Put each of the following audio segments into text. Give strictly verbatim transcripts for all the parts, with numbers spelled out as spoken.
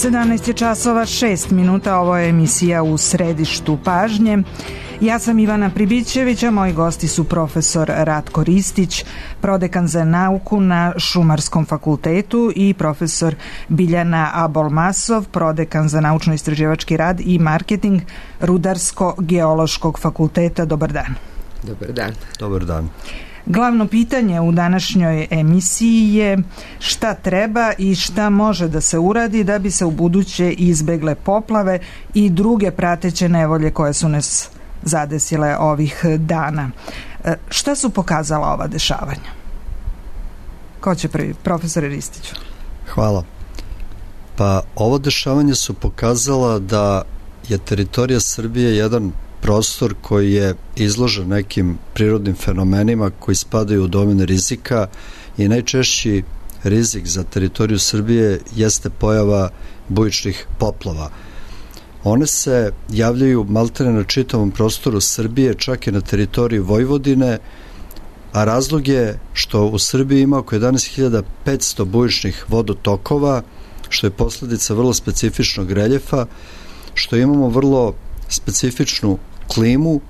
sedamnaest je časova šest minuta, ovo je emisija U središtu pažnje. Ja sam Ivana Pribićević, a moji gosti su profesor Ratko Ristić, prodekan za nauku na Šumarskom fakultetu, i profesor Biljana Abolmasov, prodekan za naučno-istraživački rad i marketing Rudarsko-geološkog fakulteta. Dobar dan. Dobar dan. Dobar dan. Glavno pitanje u današnjoj emisiji je šta treba i šta može da se uradi da bi se u buduće izbegle poplave i druge prateće nevolje koje su nas zadesile ovih dana. Šta su pokazala ova dešavanja? Ko će prvi? Profesore Ristiću. Hvala. Pa ovo dešavanje su pokazala da je teritorija Srbije jedan prostor koji je izložen nekim prirodnim fenomenima koji spadaju u domen rizika, i najčešći rizik za teritoriju Srbije jeste pojava bujičnih poplava. One se javljaju maltene na čitavom prostoru Srbije, čak i na teritoriji Vojvodine, a razlog je što u Srbiji ima oko jedanaest hiljada petsto bujičnih vodotokova, što je posledica vrlo specifičnog reljefa, što imamo vrlo specifičnu klimu,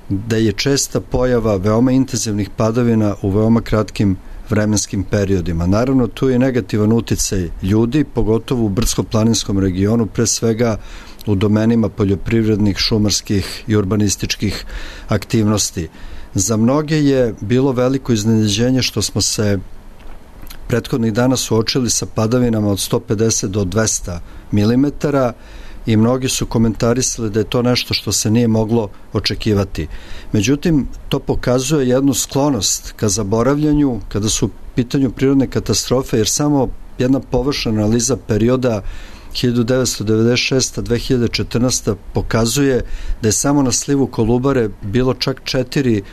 da je česta pojava veoma intenzivnih padavina u veoma kratkim vremenskim periodima. Naravno, tu je negativan uticaj ljudi, pogotovo u brdsko-planinskom regionu, pre svega u domenima poljoprivrednih, šumarskih i urbanističkih aktivnosti. Za mnoge je bilo veliko iznenađenje što smo se prethodnih dana suočili sa padavinama od sto pedeset do dvesta milimetara, i mnogi su komentarisali da je to nešto što se nije moglo očekivati. Međutim, to pokazuje jednu sklonost ka zaboravljanju kada su u pitanju prirodne katastrofe, jer samo jedna površna analiza perioda hiljadu devetsto devedeset šesta do dve hiljade četrnaeste. pokazuje da je samo na slivu Kolubare bilo čak četiri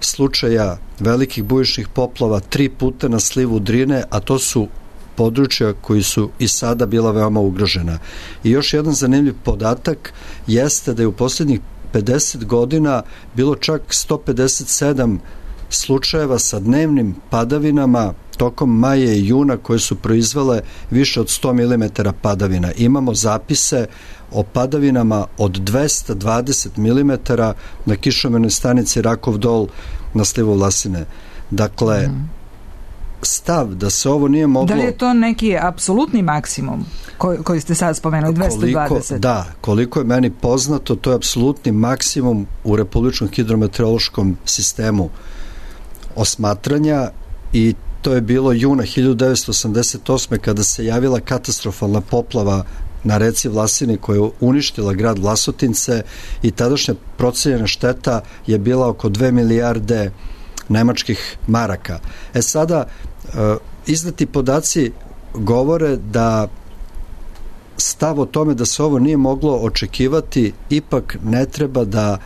slučaja velikih bujičnih poplava, tri puta na slivu Drine, a to su područja koji su i sada bila veoma ugrožena. I još jedan zanimljiv podatak jeste da je u posljednjih pedeset godina bilo čak sto pedeset sedam slučajeva sa dnevnim padavinama tokom maja i juna koje su proizvele više od sto milimetara padavina. Imamo zapise o padavinama od dvesta dvadeset milimetara na kišomernoj stanici Rakov Dol na slivu Vlasine. Dakle, mm. stav da se ovo nije moglo... Da li je to neki apsolutni maksimum koji, koji ste sad spomenuli, dvesta dvadeset? Koliko, da, koliko je meni poznato, to je apsolutni maksimum u Republičkom hidrometeorološkom sistemu osmatranja, i to je bilo juna hiljadu devetsto osamdeset osme. kada se javila katastrofalna poplava na reci Vlasini koja je uništila grad Vlasotince, i tadašnja procenjena šteta je bila oko dve milijarde nemačkih maraka. E sada, izdati podaci govore da stav o tome da se ovo nije moglo očekivati ipak ne treba da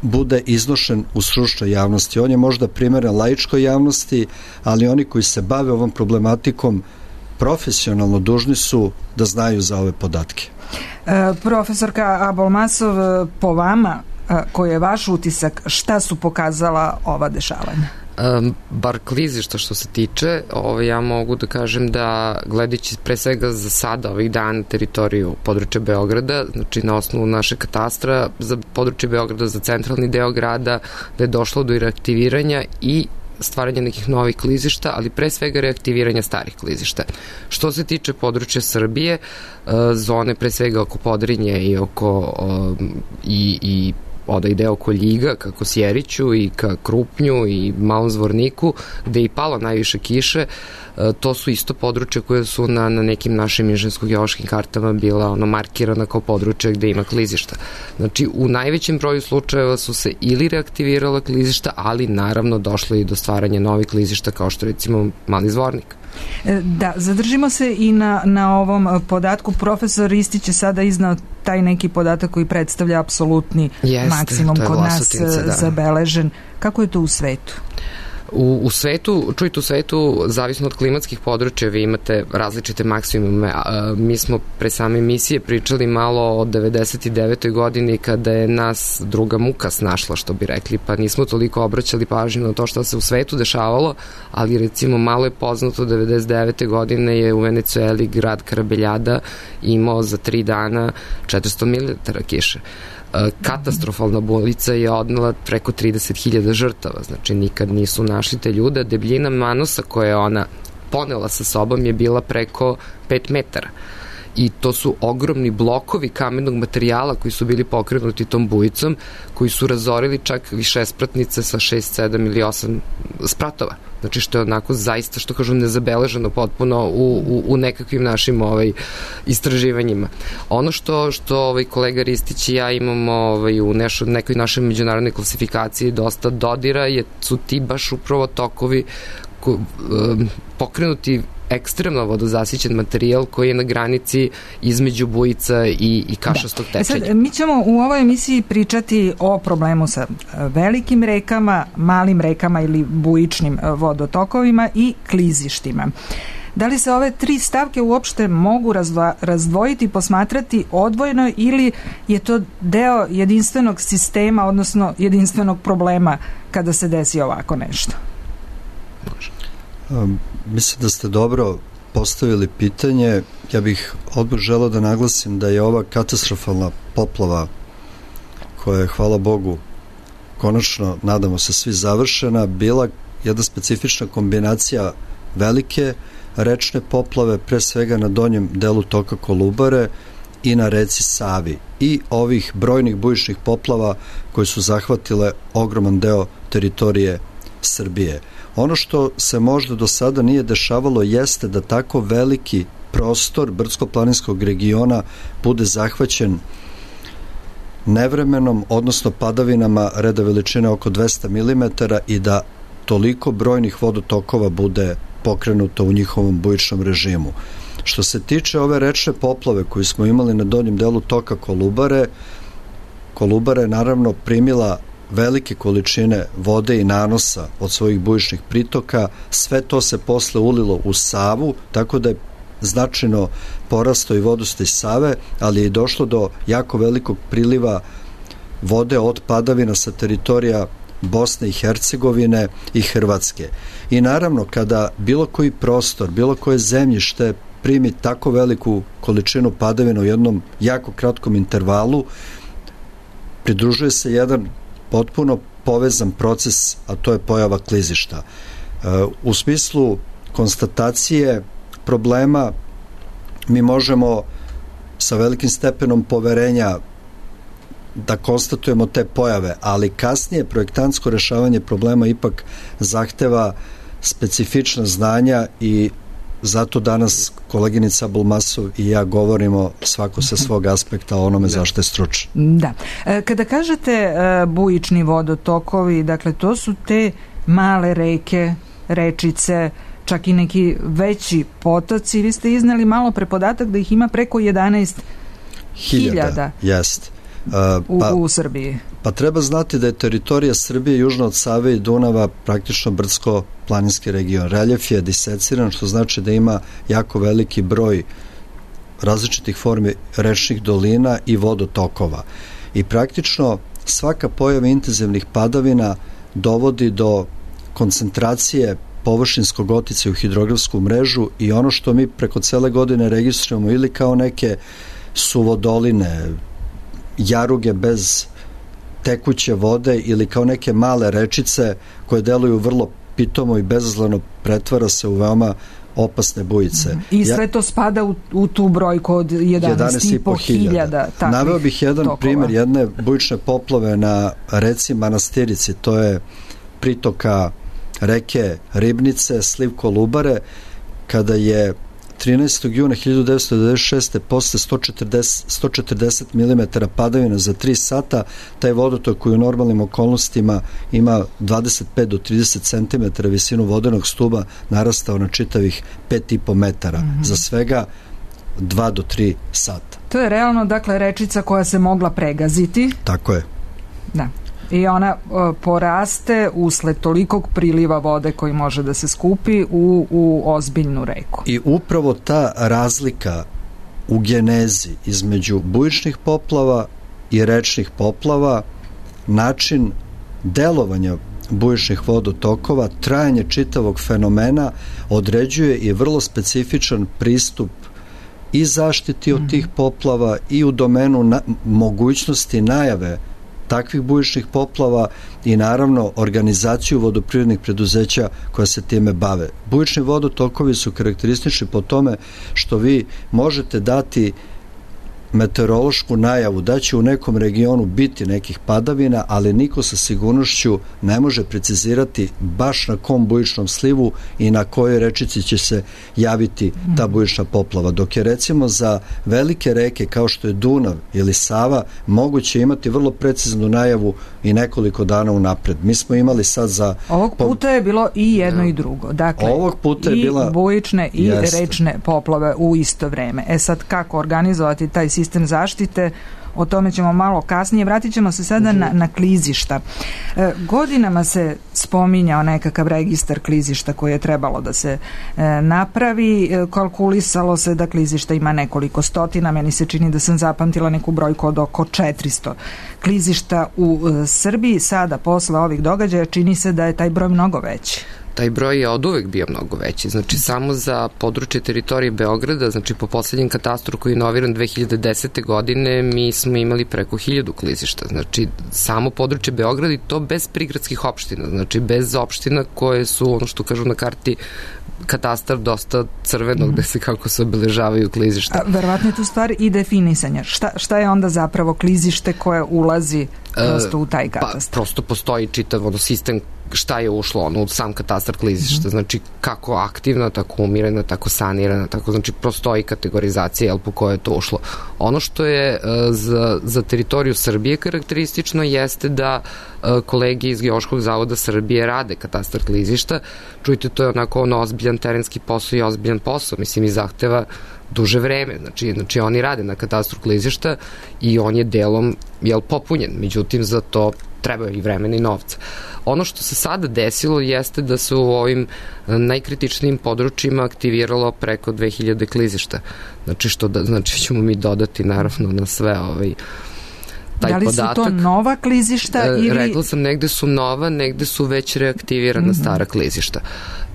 bude iznošen u stručnoj javnosti. On je možda primeren laičkoj javnosti, ali oni koji se bave ovom problematikom profesionalno dužni su da znaju za ove podatke. E, profesorka Abolmasov, po vama, koji je vaš utisak, šta su pokazala ova dešavanja? Um, bar klizišta što se tiče, ovo, ja mogu da kažem da, gledajući pre svega za sada ovih dana teritoriju područja Beograda, znači na osnovu naše katastra za područje Beograda, za centralni deo grada, da je došlo do reaktiviranja i stvaranje nekih novih klizišta, ali pre svega reaktiviranja starih klizišta. Što se tiče područja Srbije, zone pre svega oko Podrinje i oko i, i odaj deo oko Ljiga, ka Kosjeriću i ka Krupnju i Malom Zvorniku, gde je i palo najviše kiše, to su isto područja koje su na, na nekim našim inženjersko-geološkim kartama bila ono markirana kao područja gde ima klizišta. Znači, u najvećem broju slučajeva su se ili reaktivirala klizišta, ali naravno došlo i do stvaranja novih klizišta, kao što recimo Mali Zvornik. Da, zadržimo se i na, na ovom podatku. Profesor Ristić je sada iznao taj neki podatak koji predstavlja apsolutni Jeste, maksimum kod nas da. zabeležen. Kako je to u svetu? U, u svetu, čujte, u svetu, zavisno od klimatskih područja, vi imate različite maksimume. A, mi smo pre same emisije pričali malo o devedeset devetoj godini kada je nas druga muka snašla, što bi rekli, pa nismo toliko obraćali pažnju na to što se u svetu dešavalo, ali recimo malo je poznato, devedeset devete godine je u Venecueli grad Karabeljada imao za tri dana četiristo milimetara kiše. Katastrofalna bujica je odnela preko trideset hiljada žrtava, znači nikad nisu našli te ljude. Debljina Manosa koja je ona ponela sa sobom je bila preko pet metara. I to su ogromni blokovi kamenog materijala koji su bili pokrenuti tom bujicom, koji su razorili čak višespratnice sa šest, sedam ili osam spratova. Znači što je onako zaista, što kažu, nezabeleženo potpuno u, u, u nekakvim našim ovaj, istraživanjima. Ono što, što ovaj, kolega Ristić i ja imamo ovaj, u nešo, nekoj našoj međunarodnoj klasifikaciji dosta dodira, je, su ti baš upravo tokovi ko, um, pokrenuti ekstremno vodozasićen materijal koji je na granici između bujica i, i kašastog tečenja. Da. E sad, mi ćemo u ovoj emisiji pričati o problemu sa velikim rekama, malim rekama ili bujičnim vodotokovima i klizištima. Da li se ove tri stavke uopšte mogu razdva, razdvojiti i posmatrati odvojeno ili je to deo jedinstvenog sistema, odnosno jedinstvenog problema kada se desi ovako nešto? Može. Um, mislim da ste dobro postavili pitanje. Ja bih odmah želeo da naglasim da je ova katastrofalna poplava, koja je, hvala Bogu, konačno, nadamo se svi, završena, bila jedna specifična kombinacija velike rečne poplave, pre svega na donjem delu toka Kolubare i na reci Savi, i ovih brojnih bujičnih poplava koje su zahvatile ogroman deo teritorije Srbije. Ono što se možda do sada nije dešavalo jeste da tako veliki prostor brdsko-planinskog regiona bude zahvaćen nevremenom, odnosno padavinama reda veličine oko dvesta milimetara i da toliko brojnih vodotokova bude pokrenuto u njihovom bujičnom režimu. Što se tiče ove rečne poplave koju smo imali na donjem delu toka Kolubare, Kolubara je naravno primila velike količine vode i nanosa od svojih bujičnih pritoka, sve to se posle ulilo u Savu, tako da je značajno porastao i vodostaj Save, ali je i došlo do jako velikog priliva vode od padavina sa teritorija Bosne i Hercegovine i Hrvatske. I naravno, kada bilo koji prostor, bilo koje zemljište primi tako veliku količinu padavina u jednom jako kratkom intervalu, pridružuje se jedan potpuno povezan proces, a to je pojava klizišta. U smislu konstatacije problema mi možemo sa velikim stepenom poverenja da konstatujemo te pojave, ali kasnije projektantsko rešavanje problema ipak zahteva specifična znanja i zato danas koleginica Bulmasov i ja govorimo svako sa svog aspekta o onome zašto je stručan. Da. Kada kažete bujični vodotokovi, dakle to su te male reke, rečice, čak i neki veći potoci. Vi ste izneli malo pre podatak da ih ima preko jedanaest hiljada. Jest. Uh, pa, u, u Srbiji. Pa treba znati da je teritorija Srbije južno od Save i Dunava praktično brdsko-planinski region. Reljef je diseciran, što znači da ima jako veliki broj različitih formi rečnih dolina i vodotokova. I praktično svaka pojava intenzivnih padavina dovodi do koncentracije površinskog oticaja u hidrografsku mrežu i ono što mi preko cele godine registrujemo ili kao neke suvodoline, jaruge bez tekuće vode ili kao neke male rečice koje deluju vrlo pitomo i bezazleno, pretvara se u veoma opasne bujice. I sve ja, to spada u, u tu brojku od jedanaest i po hiljada. Naveo bih jedan tokova. Primer jedne bujične poplave na reci Manastirici, to je pritoka reke Ribnice, sliv Kolubare, kada je trinaestog juna hiljadu devetsto devedeset šeste posle sto četrdeset milimetara padavina za tri sata, taj vodotok koji u normalnim okolnostima ima dvadeset pet do trideset centimetara visinu vodenog stuba narastao na čitavih pet i po metara mm-hmm. za svega dva do tri sata. To je realno, dakle, rečica koja se mogla pregaziti. Tako je. Da. I ona uh, poraste usled tolikog priliva vode koji može da se skupi u, u ozbiljnu reku. I upravo ta razlika u genezi između bujičnih poplava i rečnih poplava, način delovanja bujičnih vodotokova, trajanje čitavog fenomena određuje i vrlo specifičan pristup i zaštiti od tih poplava i u domenu na, mogućnosti najave takvih bujičnih poplava i naravno organizaciju vodoprivrednih preduzeća koja se time bave. Bujični vodotokovi su karakteristični po tome što vi možete dati meteorološku najavu da će u nekom regionu biti nekih padavina, ali niko sa sigurnošću ne može precizirati baš na kom bujičnom slivu i na kojoj rečici će se javiti ta bujična poplava. Dok je recimo za velike reke kao što je Dunav ili Sava moguće imati vrlo preciznu najavu i nekoliko dana unapred. Mi smo imali sad za... Ovog puta je bilo i jedno i drugo. Dakle, ovog puta je i bila... bujične i Jeste. rečne poplave u isto vreme. E sad, kako organizovati taj sistem zaštite, o tome ćemo malo kasnije. Vratit ćemo se sada na, na klizišta. E, godinama se spominjao nekakav registar klizišta koji je trebalo da se e, napravi. E, kalkulisalo se da klizišta ima nekoliko stotina. Meni se čini da sam zapamtila neku brojku od oko četiristo klizišta u e, Srbiji. Sada, posle ovih događaja, čini se da je taj broj mnogo veći. Taj broj je od uvek bio mnogo veći. Znači, samo za područje teritorije Beograda, znači po poslednjem katastru koji je inoviran dve hiljade desete. godine, mi smo imali preko hiljadu klizišta. Znači, samo područje Beograda i to bez prigradskih opština. Znači, bez opština koje su, ono što kažu na karti, katastar dosta crvenog, mm. gde se kako se obeležavaju klizišta. A, verovatno je tu stvar i definisanja. Šta, šta je onda zapravo klizište koje ulazi prosto u taj katastar? Pa, prosto postoji čitav ono, sistem šta je ušlo ono, u sam katastar klizišta, mm. znači kako aktivna, tako umirena, tako sanirana, tako znači prostoji kategorizacija jel, po kojoj je to ušlo. Ono što je uh, za, za teritoriju Srbije karakteristično jeste da uh, kolege iz Geološkog zavoda Srbije rade katastar klizišta. Čujte, to je onako ono ozbiljan terenski posao i ozbiljan posao, mislim i zahteva duže vreme, znači, znači oni rade na katastru klizišta i on je delom jel, popunjen, međutim za to treba i vremena i novca. Ono što se sada desilo jeste da se u ovim najkritičnijim područjima aktiviralo preko dve hiljade klizišta. Znači što da, znači ćemo mi dodati naravno na sve ovaj taj da li podatak. Su to nova klizišta e, ili... Rekla sam, negde su nova, negde su već reaktivirana mm-hmm. stara klizišta.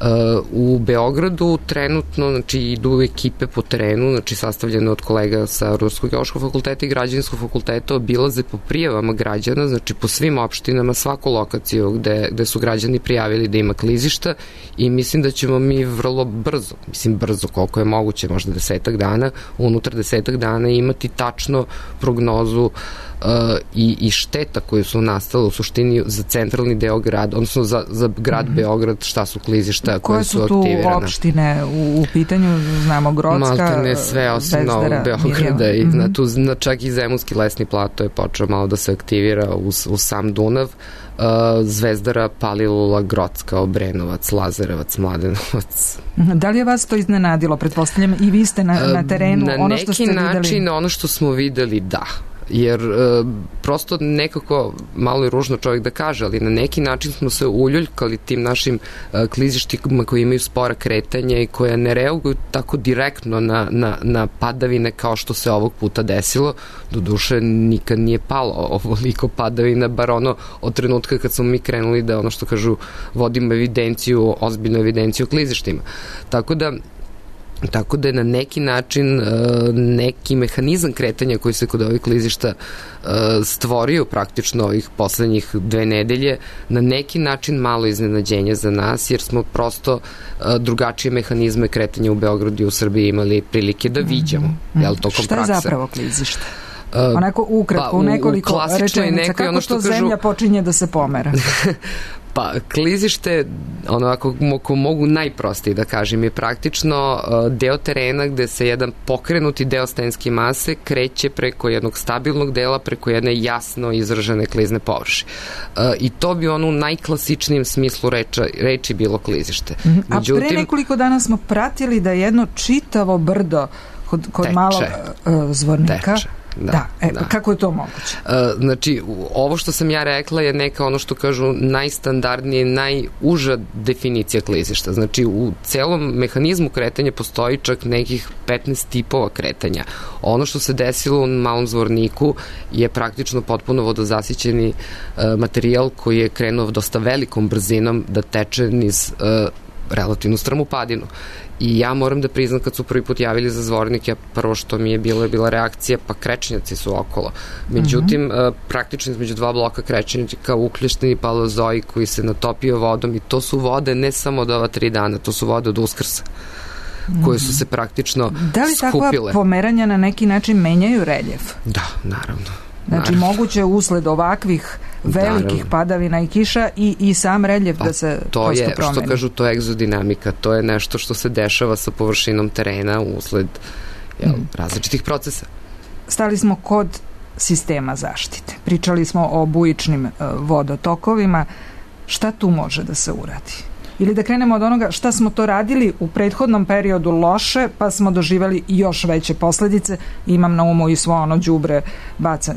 Uh, u Beogradu trenutno, znači, idu ekipe po terenu, znači, sastavljene od kolega sa Rudarskog geološkog fakulteta i Građevinskog fakulteta, obilaze po prijavama građana, znači, po svim opštinama, svaku lokaciju gde, gde su građani prijavili da ima klizišta i mislim da ćemo mi vrlo brzo, mislim brzo koliko je moguće, možda desetak dana, unutar desetak dana imati tačno prognozu Uh, i, i šteta koje su nastale u suštini za centralni deo grada, odnosno za, za grad mm-hmm. Beograd, šta su klizišta koje su aktivirane. Koje su tu opštine u, u pitanju, znamo Grocka, Maltene sve osim Novog Beograda i mm-hmm. na tu, na čak i Zemunski lesni plato je počeo malo da se aktivira uz, uz sam Dunav. Uh, Zvezdara, Palilula, Grocka, Obrenovac, Lazarevac, Mladenovac. Da li je vas to iznenadilo? Pretpostavljam i vi ste na, na terenu, na ono što ste videli? Na neki način, ono što smo videli, da. Jer e, prosto nekako, malo je ružno čovjek da kaže, ali na neki način smo se uljuljkali tim našim e, klizištima koji imaju spora kretanja i koje ne reaguju tako direktno na, na, na padavine kao što se ovog puta desilo. Doduše, nikad nije palo ovoliko padavina, bar ono od trenutka kad smo mi krenuli da, ono što kažu, vodimo evidenciju, ozbiljnu evidenciju o klizištima. Tako da, Tako da je na neki način neki mehanizam kretanja koji se kod ovih klizišta stvorio praktično ovih poslednjih dve nedelje, na neki način malo iznenađenje za nas, jer smo prosto drugačije mehanizme kretanja u Beogradu i u Srbiji imali prilike da viđamo. Mm-hmm. Jel, tokom Šta je prakse. Zapravo klizište? Onako ukratko, pa, u nekoliko u rečenica, kako ono što to kažu... zemlja počinje da se pomera? Pa, klizište, ono, ako, ako mogu najprostije da kažem, je praktično uh, deo terena gde se jedan pokrenuti deo stenske mase kreće preko jednog stabilnog dela, preko jedne jasno izražene klizne površine. Uh, I to bi ono u najklasičnijem smislu reča, reči bilo klizište. Mm-hmm. Međutim, a pre nekoliko dana smo pratili da jedno čitavo brdo kod, kod teče, malog uh, Zvornika teče. Da, da, e, da. Kako je to moguće? Uh, znači, ovo što sam ja rekla je neka, ono što kažu, najstandardnije, najuža definicija klizišta. Znači, u celom mehanizmu kretanja postoji čak nekih petnaest tipova kretanja. Ono što se desilo u Malom Zvorniku je praktično potpuno vodozasićeni uh, materijal koji je krenuo dosta velikom brzinom da teče niz uh, relativnu stramu padinu. I ja moram da priznam, kad su prvi put javili za Zvornik, ja prvo što mi je bilo je bila reakcija, pa krečnjaci su okolo. Međutim, mm -hmm. praktično između dva bloka krečnjaka uklješteni paleozoj koji se natopio vodom, i to su vode ne samo od ova tri dana, to su vode od Uskrsa, koje su se praktično skupile. Da li takva pomeranja na neki način menjaju reljef? Da, naravno. Znači, naravno. Moguće usled ovakvih velikih naravno. Padavina i kiša i, i sam reljef pa, da se to prosto je, promeni. Što kažu, to je egzodinamika, to je nešto što se dešava sa površinom terena usled jel, mm. različitih procesa. Stali smo kod sistema zaštite. Pričali smo o bujičnim uh, vodotokovima. Šta tu može da se uradi? Ili da krenemo od onoga šta smo to radili u prethodnom periodu loše, pa smo doživeli još veće posledice. Imam na umu i svo ono đubre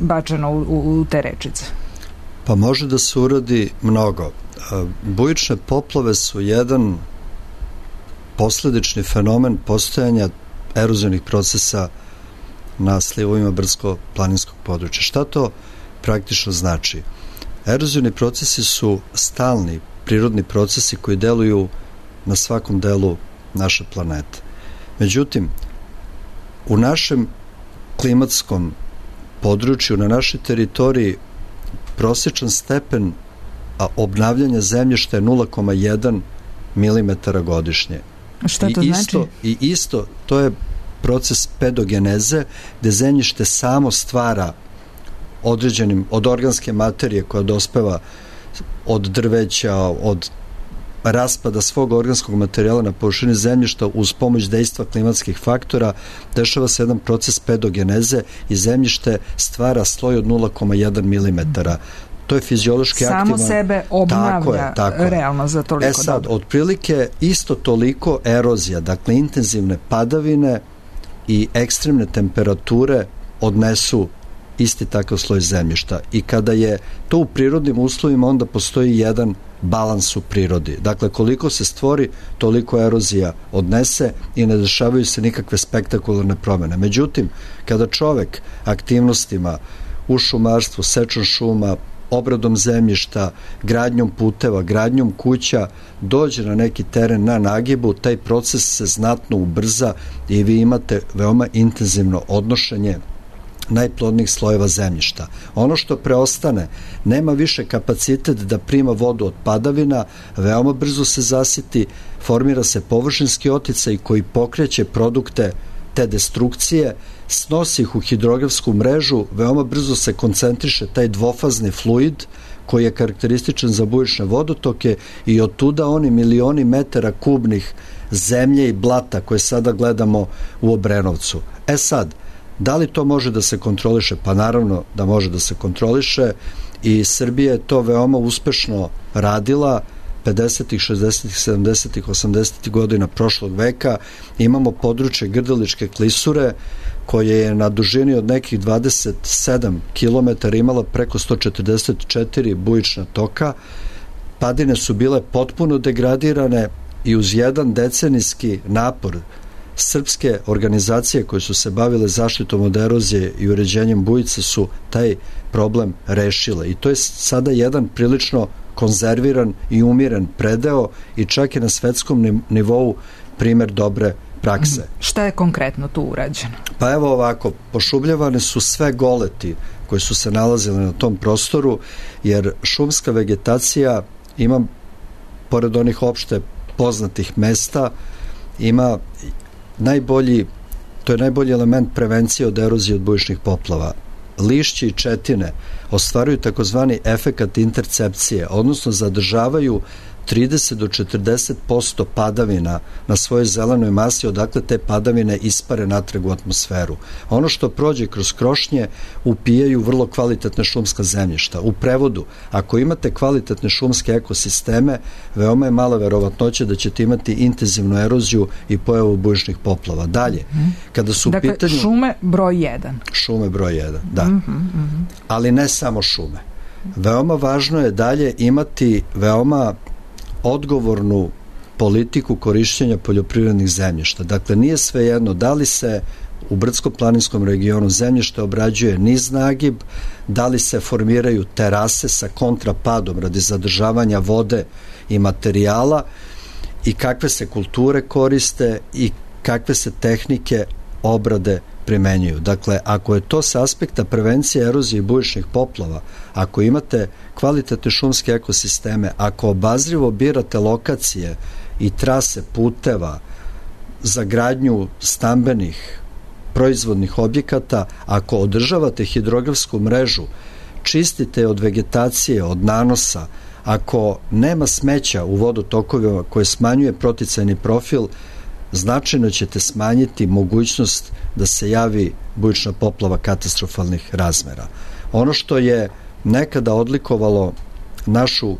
bačeno u, u, u te rečice. Pa može da se uradi mnogo. Bujične poplave su jedan posledični fenomen postojanja erozivnih procesa na slivovima brdsko-planinskog područja. Šta to praktično znači? Erozivni procesi su stalni prirodni procesi koji deluju na svakom delu naše planete. Međutim, u našem klimatskom području, na našoj teritoriji, prosječan stepen a obnavljanja zemljišta je nula zarez jedan milimetara godišnje. Šta to I znači? Isto, I isto, to je proces pedogeneze, gde zemljište samo stvara određenim, od organske materije koja dospeva od drveća, od raspada svog organskog materijala na površini zemljišta uz pomoć dejstva klimatskih faktora, dešava se jedan proces pedogeneze i zemljište stvara sloj od nula zarez jedan milimetara. To je fiziološki samo aktivan. Samo sebe obnavlja tako je, tako realno za toliko. E sad, dobro. Otprilike isto toliko erozija, dakle intenzivne padavine i ekstremne temperature odnesu isti takav sloj zemljišta. I kada je to u prirodnim uslovima, onda postoji jedan balans u prirodi. Dakle, koliko se stvori, toliko erozija odnese i ne dešavaju se nikakve spektakularne promene. Međutim, kada čovek aktivnostima u šumarstvu, sečom šuma, obradom zemljišta, gradnjom puteva, gradnjom kuća, dođe na neki teren na nagibu, taj proces se znatno ubrza i vi imate veoma intenzivno odnošenje najplodnijih slojeva zemljišta. Ono što preostane nema više kapacitet da prima vodu od padavina, veoma brzo se zasiti, formira se površinski oticaj koji pokreće produkte te destrukcije, snosi ih u hidrografsku mrežu, veoma brzo se koncentriše taj dvofazni fluid koji je karakterističan za bujične vodotoke i od tuda oni milioni metara kubnih zemlje i blata koje sada gledamo u Obrenovcu. E sad, da li to može da se kontroliše? Pa naravno da može da se kontroliše i Srbija je to veoma uspešno radila pedesetih, šezdesetih, sedamdesetih, osamdesetih godina prošlog veka. Imamo područje Grdeličke klisure koje je na dužini od nekih dvadeset sedam kilometara imala preko sto četrdeset četiri bujična toka. Padine su bile potpuno degradirane i uz jedan decenijski napor srpske organizacije koje su se bavile zaštitom od erozije i uređenjem bujica su taj problem rešile. I to je sada jedan prilično konzerviran i umiren predeo i čak je na svetskom nivou primer dobre prakse. Šta je konkretno tu urađeno? Pa evo ovako, pošumljavane su sve goleti koji su se nalazili na tom prostoru, jer šumska vegetacija ima, pored onih opšte poznatih mesta, ima najbolji, to je najbolji element prevencije od erozije od bujičnih poplava. Lišće i četine ostvaruju takozvani efekat intercepcije, odnosno zadržavaju trideset do četrdeset posto padavina na svojoj zelenoj masi, odakle te padavine ispare natrag u atmosferu. Ono što prođe kroz krošnje upijaju vrlo kvalitetne šumska zemljišta. U prevodu, ako imate kvalitetne šumske ekosisteme, veoma je mala verovatnoća da ćete imati intenzivnu eroziju i pojavu bujičnih poplava. Dalje, kada su dakle, pitanju... šume broj jedan. Šume broj jedan, da. Mm -hmm, mm -hmm. Ali ne samo šume. Veoma važno je dalje imati veoma odgovornu politiku korišćenja poljoprivrednih zemljišta. Dakle, nije svejedno da li se u brdsko-planinskom regionu zemljište obrađuje niz nagib, da li se formiraju terase sa kontrapadom radi zadržavanja vode i materijala i kakve se kulture koriste i kakve se tehnike obrade primenjuju. Dakle, ako je to sa aspekta prevencije erozije i bujičnih poplava, ako imate kvalitetne šumske ekosisteme, ako obazrivo birate lokacije i trase puteva za gradnju stambenih proizvodnih objekata, ako održavate hidrografsku mrežu, čistite od vegetacije, od nanosa, ako nema smeća u vodotokovima koje smanjuje proticajni profil, značajno ćete smanjiti mogućnost da se javi bujična poplava katastrofalnih razmera. Ono što je nekada odlikovalo našu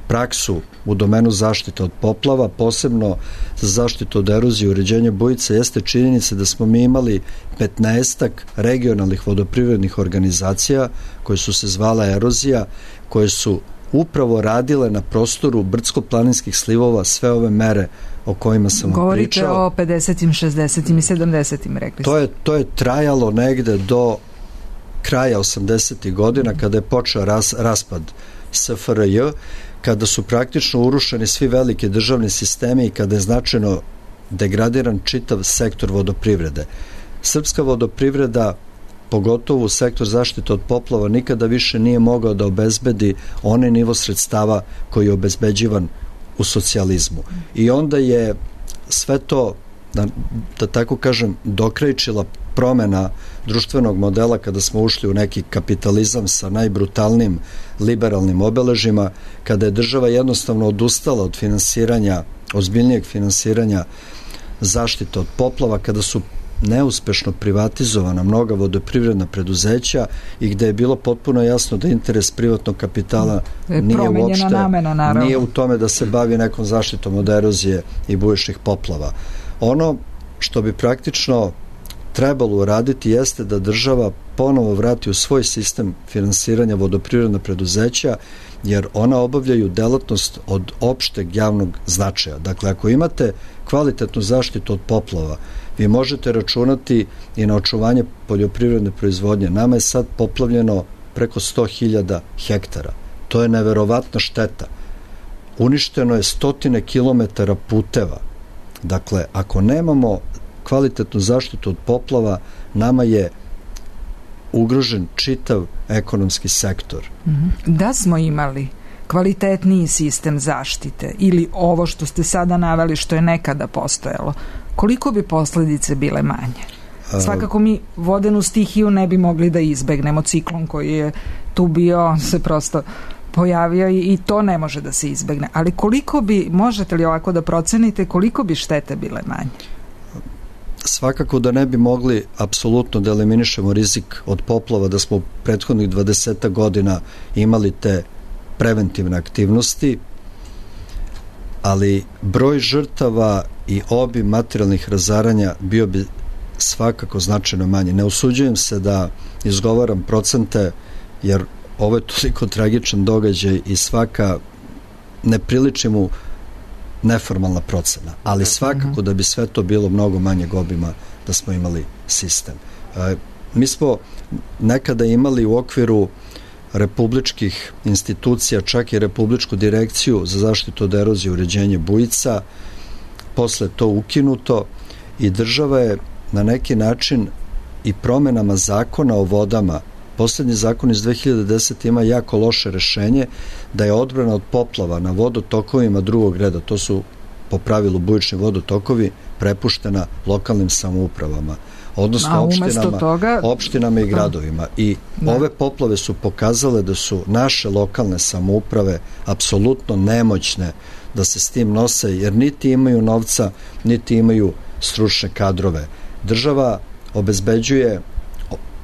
praksu u domenu zaštite od poplava, posebno za zaštitu od erozije i uređenja bujica, jeste činjenica da smo mi imali petnaestak regionalnih vodoprivrednih organizacija koje su se zvala Erozija, koje su upravo radile na prostoru brdsko-planinskih slivova sve ove mere o kojima sam vam Govorite pričao. Govorite o pedesetim, šezdesetim i sedamdesetim, rekli ste. To je, to je trajalo negde do kraja osamdesetih godina, kada je počeo ras, raspad S F R J, kada su praktično urušeni svi veliki državni sistemi i kada je značajno degradiran čitav sektor vodoprivrede. Srpska vodoprivreda, pogotovo u sektor zaštite od poplava, nikada više nije mogao da obezbedi onaj nivo sredstava koji je obezbeđivan u socijalizmu. I onda je sve to, da, da tako kažem, dokrajčila promena društvenog modela kada smo ušli u neki kapitalizam sa najbrutalnim liberalnim obeležima, kada je država jednostavno odustala od finansiranja, ozbiljnijeg finansiranja zaštite od poplava, kada su neuspešno privatizovana mnoga vodoprivredna preduzeća i gde je bilo potpuno jasno da interes privatnog kapitala nije uopšte namena, nije u tome da se bavi nekom zaštitom od erozije i bujičnih poplava. Ono što bi praktično trebalo uraditi jeste da država ponovo vrati u svoj sistem finansiranja vodoprivredna preduzeća, jer ona obavljaju delatnost od opšteg javnog značaja. Dakle, ako imate kvalitetnu zaštitu od poplava, vi možete računati i na očuvanje poljoprivredne proizvodnje. Nama je sad poplavljeno preko sto hiljada hektara. To je neverovatna šteta. Uništeno je stotine kilometara puteva. Dakle, ako nemamo kvalitetnu zaštitu od poplava, nama je ugrožen čitav ekonomski sektor. Da smo imali kvalitetniji sistem zaštite ili ovo što ste sada naveli što je nekada postojalo, koliko bi posledice bile manje? Svakako mi vodenu stihiju ne bi mogli da izbegnemo, ciklon koji je tu bio se prosto pojavio i to ne može da se izbegne. Ali koliko bi, možete li ovako da procenite, koliko bi štete bile manje? Svakako da ne bi mogli apsolutno da eliminišemo rizik od poplava, da smo u prethodnih dvadeset godina imali te preventivne aktivnosti, ali broj žrtava i obim materijalnih razaranja bio bi svakako značajno manje. Ne usuđujem se da izgovaram procente, jer ovo je toliko tragičan događaj i svaka ne priliči mu neformalna procena, ali svakako da bi sve to bilo mnogo manjeg obima da smo imali sistem. E, mi smo nekada imali u okviru republičkih institucija čak i Republičku direkciju za zaštitu od erozije i uređenje bujica, posle to ukinuto i država je na neki način i promenama zakona o vodama, poslednji zakon iz dve hiljade desete. ima jako loše rešenje da je odbrana od poplava na vodotokovima drugog reda, to su po pravilu bujični vodotokovi prepuštena lokalnim samoupravama, odnosno opštinama, toga... opštinama i gradovima. I ne. ove poplave su pokazale da su naše lokalne samouprave apsolutno nemoćne da se s tim nose, jer niti imaju novca, niti imaju stručne kadrove. Država obezbeđuje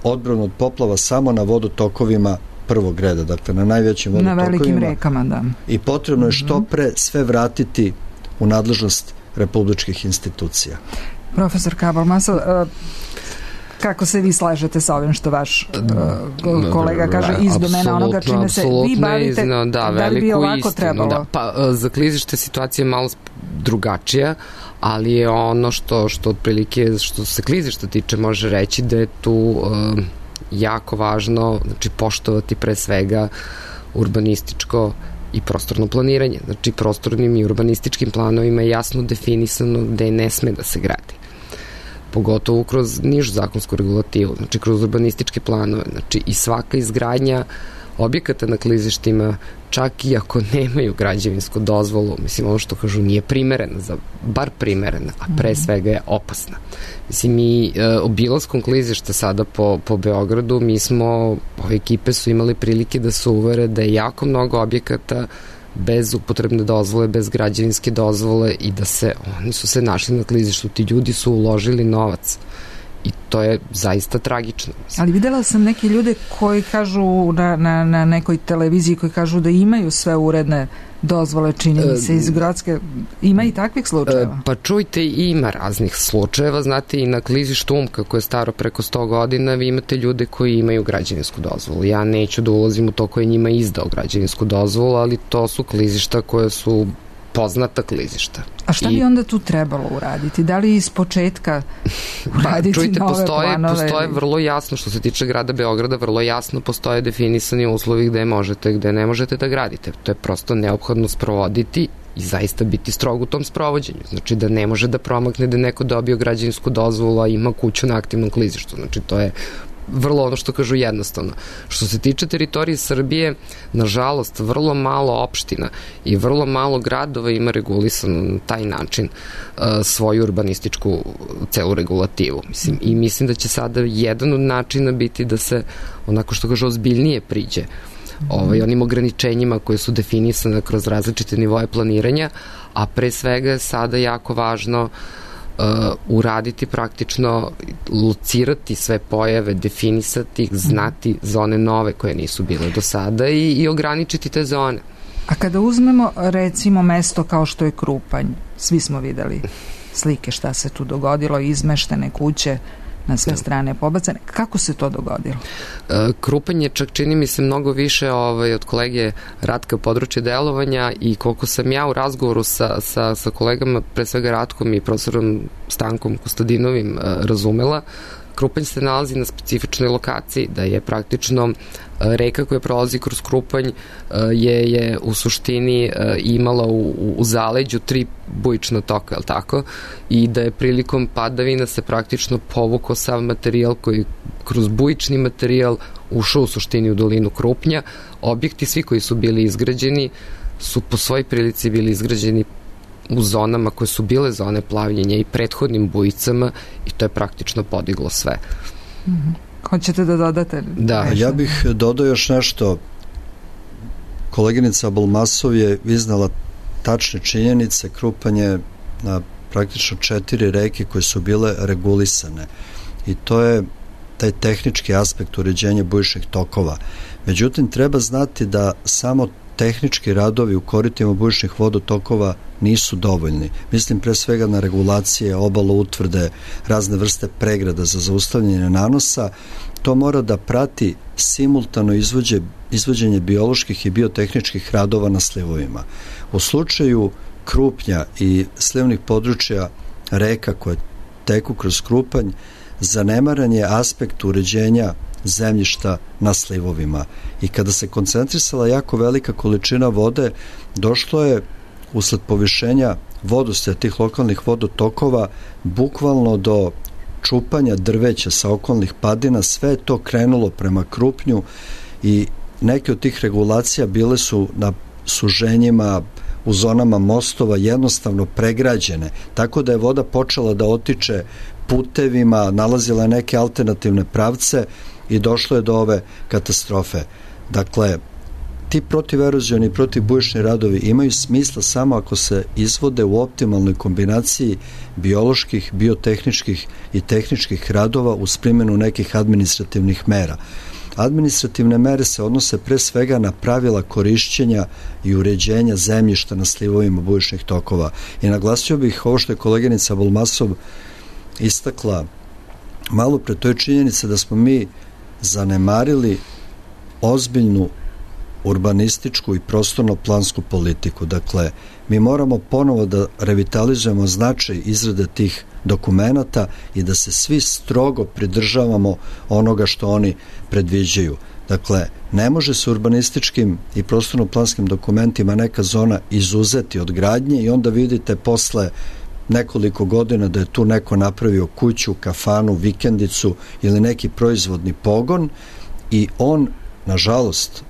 odbranu od poplava samo na vodotokovima prvog reda, dakle na najvećim vodotokovima. Na velikim rekama, da. I potrebno je što pre sve vratiti u nadležnost republičkih institucija. Profesor Kabal-Masov, kako se vi slažete sa ovim što vaš uh, kolega kaže iz domena onoga čime se vi bavite, izno, da, da li bi ovako istinu, trebalo? Da. Pa za klizište situacija je malo drugačija, ali je ono što, što otprilike, što se klizišta tiče, može reći da je tu uh, jako važno, znači poštovati pre svega urbanističko i prostorno planiranje. Znači prostornim i urbanističkim planovima je jasno definisano gde ne sme da se gradi. Pogotovo kroz nižu zakonsku regulativu, znači kroz urbanističke planove, znači i svaka izgradnja objekata na klizištima, čak i ako nemaju građevinsku dozvolu, mislim, ono što kažu nije primerena, za, bar primerena, a pre svega je opasna. Mislim, mi e, obilaskom klizišta sada po, po Beogradu, mi smo, ove ekipe su imali prilike da se uvere da je jako mnogo objekata bez upotrebne dozvole, bez građevinske dozvole i da se, oni su se našli na klizištu, ti ljudi su uložili novac i to je zaista tragično. Ali videla sam neke ljude koji kažu na, na, na nekoj televiziji koji kažu da imaju sve uredne dozvole, čini mi se, iz Grodske. Ima i takvih slučajeva? Pa čujte, ima raznih slučajeva, znate, i na klizištu Umka koje je staro preko sto godina, vi imate ljude koji imaju građevinsku dozvolu. Ja neću da ulazim u to ko je njima izdao građevinsku dozvolu, ali to su klizišta koje su poznata klizišta. A šta I... bi onda tu trebalo uraditi? Da li iz početka uraditi pa, čujte, nove postoje, planove? Postoje vrlo jasno, što se tiče grada Beograda, vrlo jasno postoje definisani uslovi gde možete, gde ne možete da gradite. To je prosto neophodno sprovoditi i zaista biti strog u tom sprovođenju. Znači da ne može da promakne da neko dobio građevinsku dozvolu, a ima kuću na aktivnom klizištu. Znači to je vrlo ono što kažu jednostavno. Što se tiče teritorije Srbije, nažalost, vrlo malo opština i vrlo malo gradova ima regulisano na taj način uh, svoju urbanističku celu regulativu. Mislim, i mislim da će sada jedan od načina biti da se, onako što kažu, ozbiljnije priđe ovaj, onim ograničenjima koje su definisane kroz različite nivoje planiranja, a pre svega je sada jako važno Uh, uraditi praktično, locirati sve pojave, definisati ih, znati zone nove koje nisu bile do sada i, i ograničiti te zone. A kada uzmemo recimo mesto kao što je Krupanj, svi smo videli slike šta se tu dogodilo, izmeštene kuće na sve strane pobacane. Kako se to dogodilo? Krupanj je čak, čini mi se, mnogo više ovaj, od kolege Ratka područje delovanja i koliko sam ja u razgovoru sa, sa, sa kolegama, pre svega Ratkom i profesorom Stankom Kostadinovim razumela, Krupanj se nalazi na specifičnoj lokaciji, da je praktično reka koja prolazi kroz Krupanj je, je u suštini imala u, u zaleđu tri bujična toka, je li tako? I da je prilikom padavina se praktično povukao sav materijal koji kroz bujični materijal ušao u suštini u dolinu Krupnja. Objekti svi koji su bili izgrađeni su po svoj prilici bili izgrađeni u zonama koje su bile zone plavljenja i prethodnim bujicama i to je praktično podiglo sve. Mm-hmm. Hoćete da dodate? Da. Ja bih dodao još nešto. Koleginica Abulmasov je iznala tačne činjenice. Krupanj je na praktično četiri reke koje su bile regulisane i to je taj tehnički aspekt uređenja bujičnih tokova. Međutim, treba znati da samo tehnički radovi u koritima bujičnih vodotokova nisu dovoljni. Mislim pre svega na regulacije, obalo utvrde, razne vrste pregrada za zaustavljanje nanosa. To mora da prati simultano izvođe, izvođenje bioloških i biotehničkih radova na slivovima. U slučaju Krupnja i slivnih područja reka koje teku kroz Krupanj, zanemaran je aspekt uređenja zemljišta na slivovima. I kada se koncentrisala jako velika količina vode, došlo je usled povišenja vodostaja tih lokalnih vodotokova bukvalno do čupanja drveća sa okolnih padina. Sve je to krenulo prema Krupnju i neke od tih regulacija bile su na suženjima u zonama mostova jednostavno pregrađene, tako da je voda počela da otiče putevima, nalazila neke alternativne pravce i došlo je do ove katastrofe. Dakle, ti protiverozioni i protivbujični radovi imaju smisla samo ako se izvode u optimalnoj kombinaciji bioloških, biotehničkih i tehničkih radova uz primjenu nekih administrativnih mera. Administrativne mere se odnose pre svega na pravila korišćenja i uređenja zemljišta na slivovima bujičnih tokova. I naglasio bih ovo što je koleginica Bulmasov istakla malo pre, to je činjenica da smo mi zanemarili ozbiljnu urbanističku i prostorno-plansku politiku. Dakle, mi moramo ponovo da revitalizujemo značaj izrade tih dokumenata i da se svi strogo pridržavamo onoga što oni predviđaju. Dakle, ne može se urbanističkim i prostorno-planskim dokumentima neka zona izuzeti od gradnje i onda vidite posle nekoliko godina da je tu neko napravio kuću, kafanu, vikendicu ili neki proizvodni pogon i on, nažalost,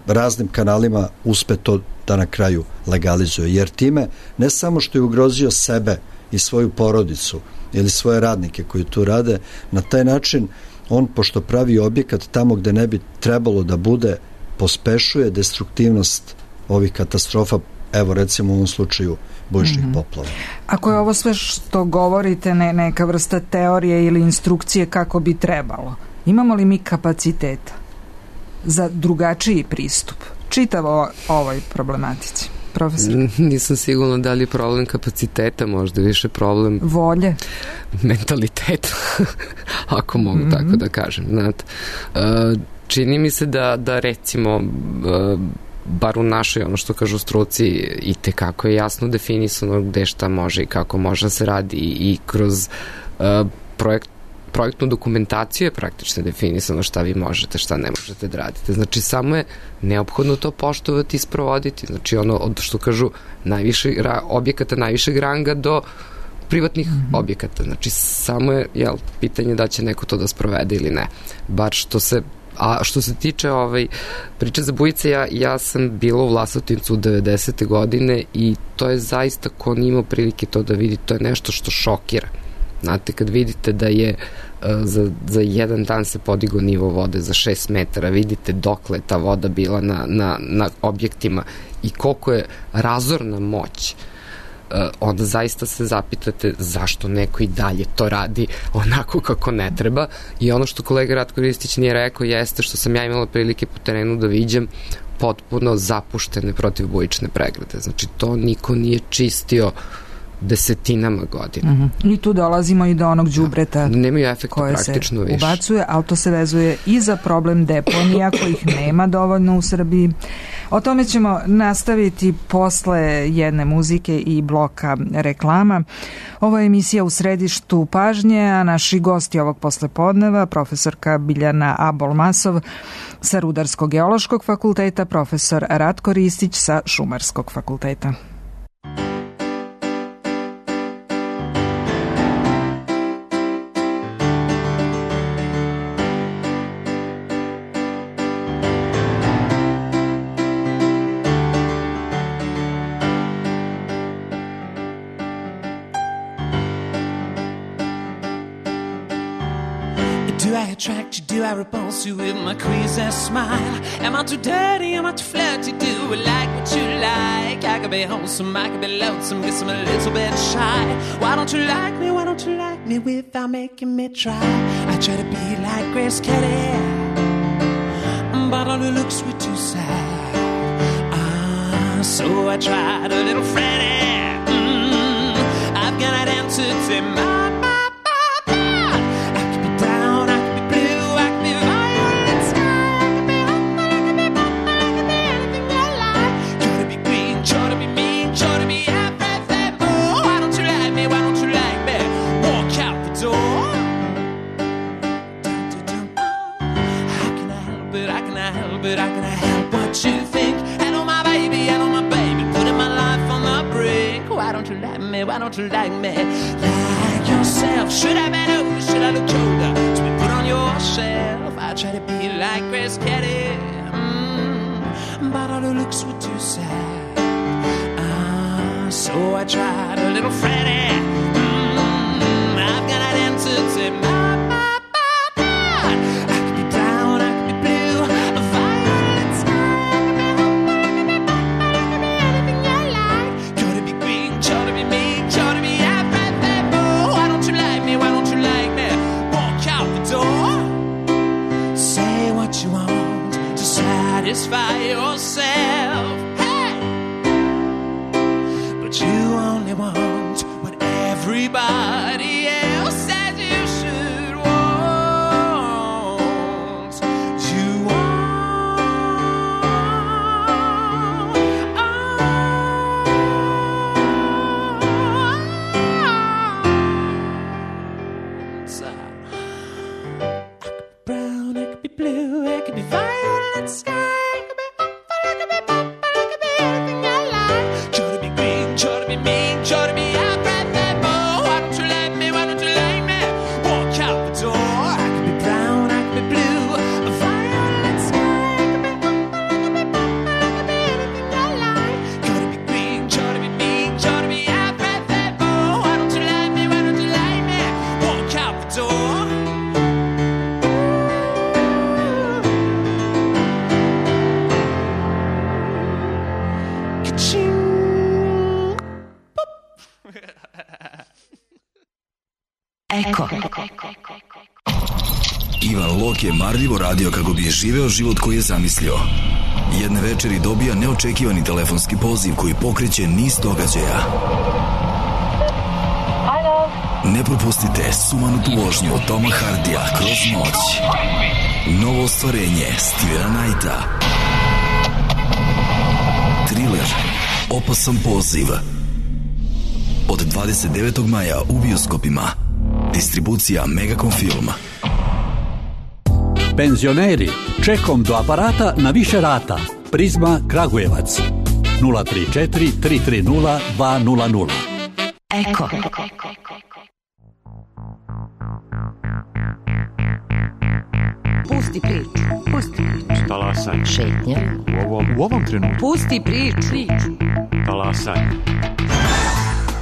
raznim kanalima uspe to da na kraju legalizuje. Jer time ne samo što je ugrozio sebe i svoju porodicu ili svoje radnike koji tu rade, na taj način on, pošto pravi objekat tamo gde ne bi trebalo da bude, pospešuje destruktivnost ovih katastrofa, evo recimo u ovom slučaju bujičnih mm-hmm. poplava. Ako je ovo sve što govorite ne, neka vrsta teorije ili instrukcije kako bi trebalo, imamo li mi kapaciteta za drugačiji pristup čitavo ovoj problematici? Profesor? Nisam sigurna da li je problem kapaciteta, možda više problem volje, mentaliteta, ako mogu mm-hmm. tako da kažem. Znate, čini mi se da, da recimo bar u našoj, ono što kažu struci, i tekako je jasno definisano gde šta može i kako može da se radi i kroz projekt projektnu dokumentaciju je praktično definisano šta vi možete, šta ne možete da radite. Znači, samo je neophodno to poštovati i sprovoditi. Znači, ono, od što kažu, najviše objekata, najvišeg ranga do privatnih mm-hmm. objekata. Znači, samo je, jel, pitanje da će neko to da sprovede ili ne. Bar što se A što se tiče ovaj, priče za bujice, ja, ja sam bila u Vlasotincu u devedesete godine i to je zaista, ko nije imao prilike to da vidi, to je nešto što šokira. Znate, kad vidite da je uh, za, za jedan dan se podigao nivo vode za šest metara, vidite dokle ta voda bila na, na, na objektima i koliko je razorna moć, uh, onda zaista se zapitate zašto neko i dalje to radi onako kako ne treba. I ono što kolega Ratko Ristić nije rekao jeste što sam ja imala prilike po terenu da viđem potpuno zapuštene protivbujične pregrade. Znači, to niko nije čistio desetinama godina. Mm-hmm. I tu dolazimo i do onog đubreta nemaju efekta praktično više. Ubacuje, ali to se vezuje i za problem deponija kojih nema dovoljno u Srbiji. O tome ćemo nastaviti posle jedne muzike i bloka reklama. Ovo je emisija U središtu pažnje, a naši gosti ovog poslepodneva, profesorka Biljana Abolmasov sa Rudarsko-geološkog fakulteta, profesor Ratko Ristić sa Šumarskog fakulteta. Do I attract you? Do I repulse you with my queasy smile? Am I too dirty? Am I too flirty? Do I like what you like? I could be wholesome, I could be lonesome, guess I'm a little bit shy. Why don't you like me? Why don't you like me without making me try? I try to be like Grace Kelly, but all her looks were too sad. Ah, so I tried a little Freddie. Mm, I've got an answer to my Why don't you like me like yourself? Should I be older? Should I look colder to be put on your shelf? I try to be like Grace Kelly, mm, but all her looks were too sad. little Freddy. Mm, I've got an answer to my, my, my, my. I could be brown, I could be blue, a violet sky. I could be anything you like. Could it be green, could it be me, could it be everything? Oh, why don't you like me, why don't you like me? Walk out the door. Say what you want to satisfy yourself. Hey! But you only want what everybody else says you should want. You want. Oh, so, I could be brown, I could be blue, I could be violet sky. Eko. Ivan Lok je marljivo radio kako bi živeo život koji je zamislio. Jedne večeri dobija neočekivani telefonski poziv koji pokreće niz događaja. Ne propustite sumanutu vožnju Toma Hardija kroz noć. Novo ostvarenje Stevena Knighta. Thriller Opasan poziv. Od dvadeset devetog maja u bioskopima. Distribucija Megacom Film. Penzioneri, čekom do aparata na više rata. Prizma Kragujevac. nula tri četiri tri tri nula dva nula nula. Eko. Pusti priču. Pusti priču. Talasaj. Šetnja. U ovom, u ovom trenutku. Pusti priču. Talasaj.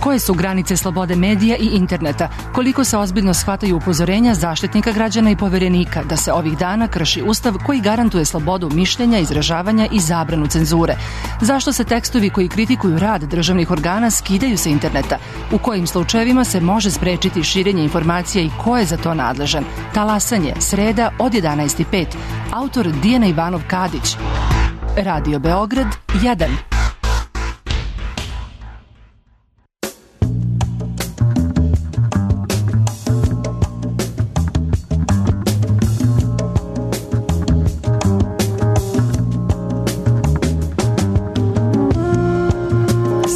Koje su granice slobode medija i interneta? Koliko se ozbiljno shvataju upozorenja Zaštitnika građana i Poverenika da se ovih dana krši ustav koji garantuje slobodu mišljenja, izražavanja i zabranu cenzure? Zašto se tekstovi koji kritikuju rad državnih organa skidaju sa interneta? U kojim slučajevima se može sprečiti širenje informacija i ko je za to nadležan? Talasanje, sreda od jedanaest i pet. Autor Dijana Ivanov Kadić. Radio Beograd jedan.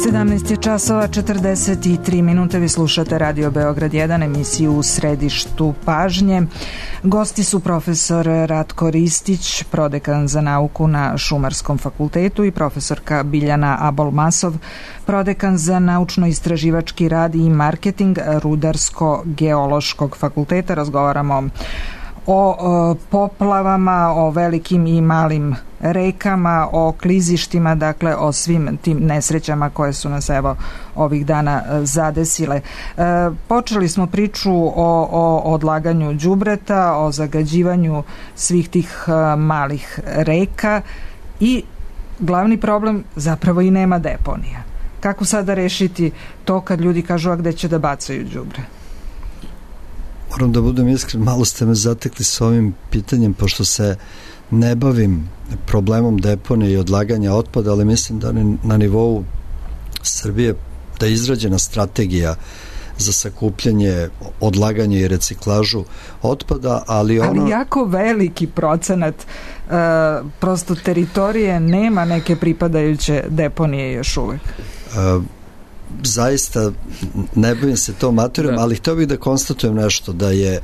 sedamnaest je časova četrdeset tri minute. Vi slušate Radio Beograd jedan, emisiju U središtu pažnje. Gosti su profesor Ratko Ristić, prodekan za nauku na Šumarskom fakultetu, i profesorka Biljana Abolmasov, prodekan za naučno-istraživački rad i marketing Rudarsko-geološkog fakulteta. Razgovaramo o, o poplavama, o velikim i malim rekama, o klizištima, dakle o svim tim nesrećama koje su nas evo ovih dana zadesile. E, počeli smo priču o, o odlaganju đubreta, o zagađivanju svih tih a, malih reka i glavni problem zapravo i nema deponija. Kako sada rešiti to kad ljudi kažu a gde će da bacaju đubre? Moram da budem iskren, malo ste me zatekli s ovim pitanjem, pošto se ne bavim problemom deponije i odlaganja otpada, ali mislim da na nivou Srbije da je izrađena strategija za sakupljanje, odlaganje i reciklažu otpada, ali ono... Ali jako veliki procenat uh, prosto teritorije nema neke pripadajuće deponije još uvek. Uh, zaista ne bavim se tom materijom, ali htio bih da konstatujem nešto, da je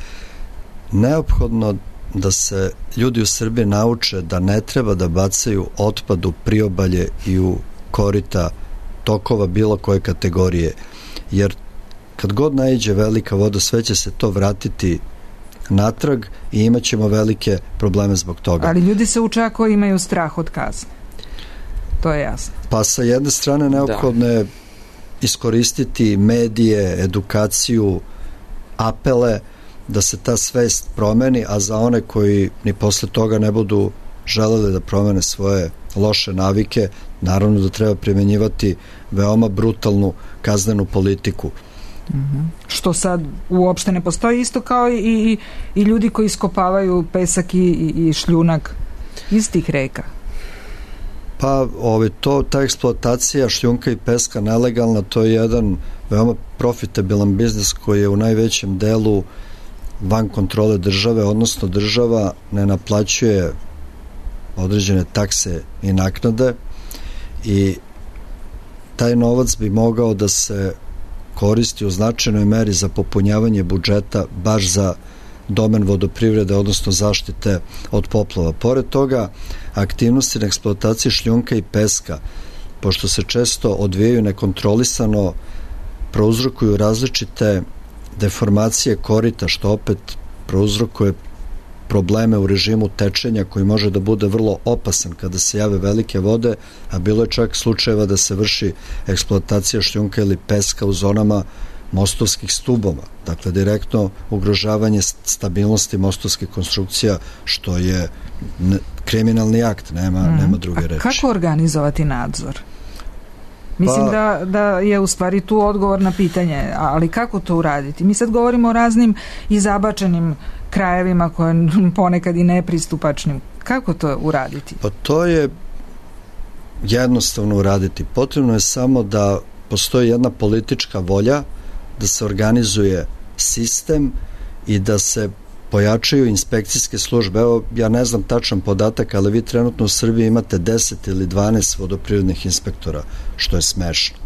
neophodno da se ljudi u Srbiji nauče da ne treba da bacaju otpad u priobalje i u korita tokova bilo koje kategorije, jer kad god naiđe velika voda, sve će se to vratiti natrag i imat ćemo velike probleme zbog toga. Ali ljudi se uče ako imaju strah od kazne. To je jasno. Pa sa jedne strane neophodno je iskoristiti medije, edukaciju, apele, da se ta svest promeni, a za one koji ni posle toga ne budu želeli da promene svoje loše navike, naravno da treba primenjivati veoma brutalnu kaznenu politiku. Mm-hmm. Što sad uopšte ne postoji, isto kao i, i, i ljudi koji iskopavaju pesak i, i šljunak iz tih reka. Pa ovaj, to, ta eksploatacija šljunka i peska nelegalna, to je jedan veoma profitabilan biznis koji je u najvećem delu van kontrole države, odnosno država ne naplaćuje određene takse i naknade i taj novac bi mogao da se koristi u značajnoj meri za popunjavanje budžeta baš za domen vodoprivrede, odnosno zaštite od poplava. Pored toga, aktivnosti na eksploataciji šljunka i peska, pošto se često odvijaju nekontrolisano, prouzrokuju različite deformacije korita, što opet prouzrokuje probleme u režimu tečenja koji može da bude vrlo opasan kada se jave velike vode, a bilo je čak slučajeva da se vrši eksploatacija šljunka ili peska u zonama mostovskih stubova, dakle direktno ugrožavanje stabilnosti mostovskih konstrukcija, što je kriminalni akt, nema, mm. nema druge reči. A kako organizovati nadzor? Mislim pa, da, da je u stvari tu odgovor na pitanje, ali kako to uraditi? Mi sad govorimo o raznim i zabačenim krajevima koje ponekad i nepristupačnim. Kako to uraditi? Pa to je jednostavno uraditi. Potrebno je samo da postoji jedna politička volja, da se organizuje sistem i da se pojačaju inspekcijske službe. Evo, ja ne znam tačan podatak, ali vi trenutno u Srbiji imate deset ili dvanaest vodoprivrednih inspektora, što je smešno.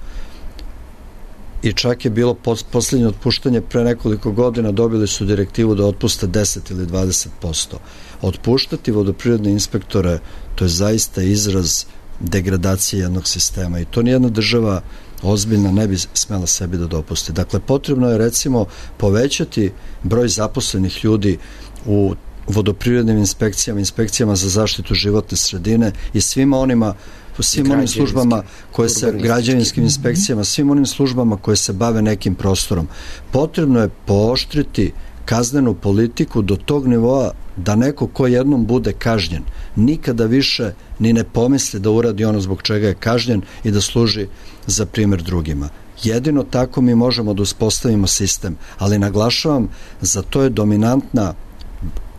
I čak je bilo poslednje otpuštanje pre nekoliko godina, dobili su direktivu da otpuste deset ili dvadeset posto. Otpuštati vodoprivredne inspektore, to je zaista izraz degradacije jednog sistema i to nijedna država ozbiljna ne bi smela sebi da dopusti. Dakle, potrebno je recimo povećati broj zaposlenih ljudi u vodoprivrednim inspekcijama, inspekcijama za zaštitu životne sredine i svima onima svim onim službama koje se, građevinskim inspekcijama, svim onim službama koje se bave nekim prostorom. Potrebno je pooštriti kaznenu politiku do tog nivoa da neko ko jednom bude kažnjen nikada više ni ne pomisli da uradi ono zbog čega je kažnjen i da služi za primer drugima. Jedino tako mi možemo da uspostavimo sistem, ali naglašavam, za to je dominantna,